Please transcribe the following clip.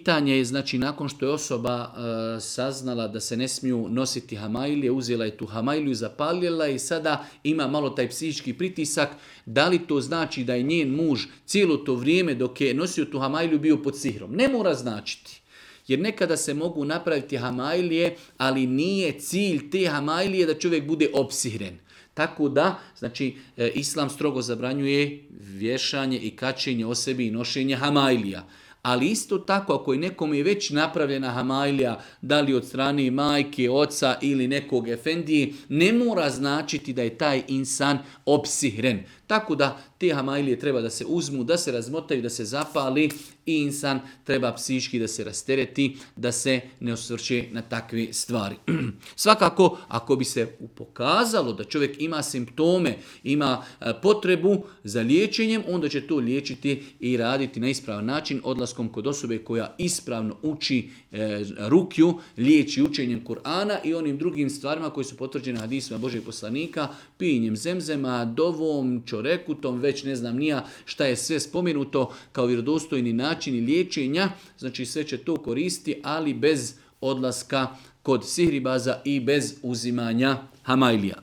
pitanje je, znači, nakon što je osoba saznala da se ne smiju nositi hamailije, uzela je tu hamailiju, zapalila i sada ima malo taj psihički pritisak, da li to znači da je njen muž cijelo to vrijeme dok je nosio tu hamailiju bio pod sihrom? Ne mora značiti. Jer nekada se mogu napraviti hamailije, ali nije cilj te hamailije da čovjek bude opsihren. Tako da, znači, Islam strogo zabranjuje vješanje i kačenje o sebi i nošenje hamailija. Ali isto tako, ako je nekom je već napravljena hamailija, da li od strane majke, oca ili nekog efendije, ne mora značiti da je taj insan opsihren. Tako da te hamailije treba da se uzmu, da se razmotaju, da se zapali i insan treba psihički da se rastereti, da se ne osvrće na takve stvari. Svakako, ako bi se pokazalo da čovjek ima simptome, ima potrebu za liječenjem, onda će to liječiti i raditi na ispravan način odlaskom kod osobe koja ispravno uči rukju, liječi učenjem Kur'ana i onim drugim stvarima koji su potvrđene hadisima Božeg poslanika, pijenjem zemzema, dovom, čorekutom, već ne znam nija šta je sve spomenuto kao vjerodostojni načini liječenja, znači sve će to koristiti, ali bez odlaska kod sihribaza i bez uzimanja hamailija.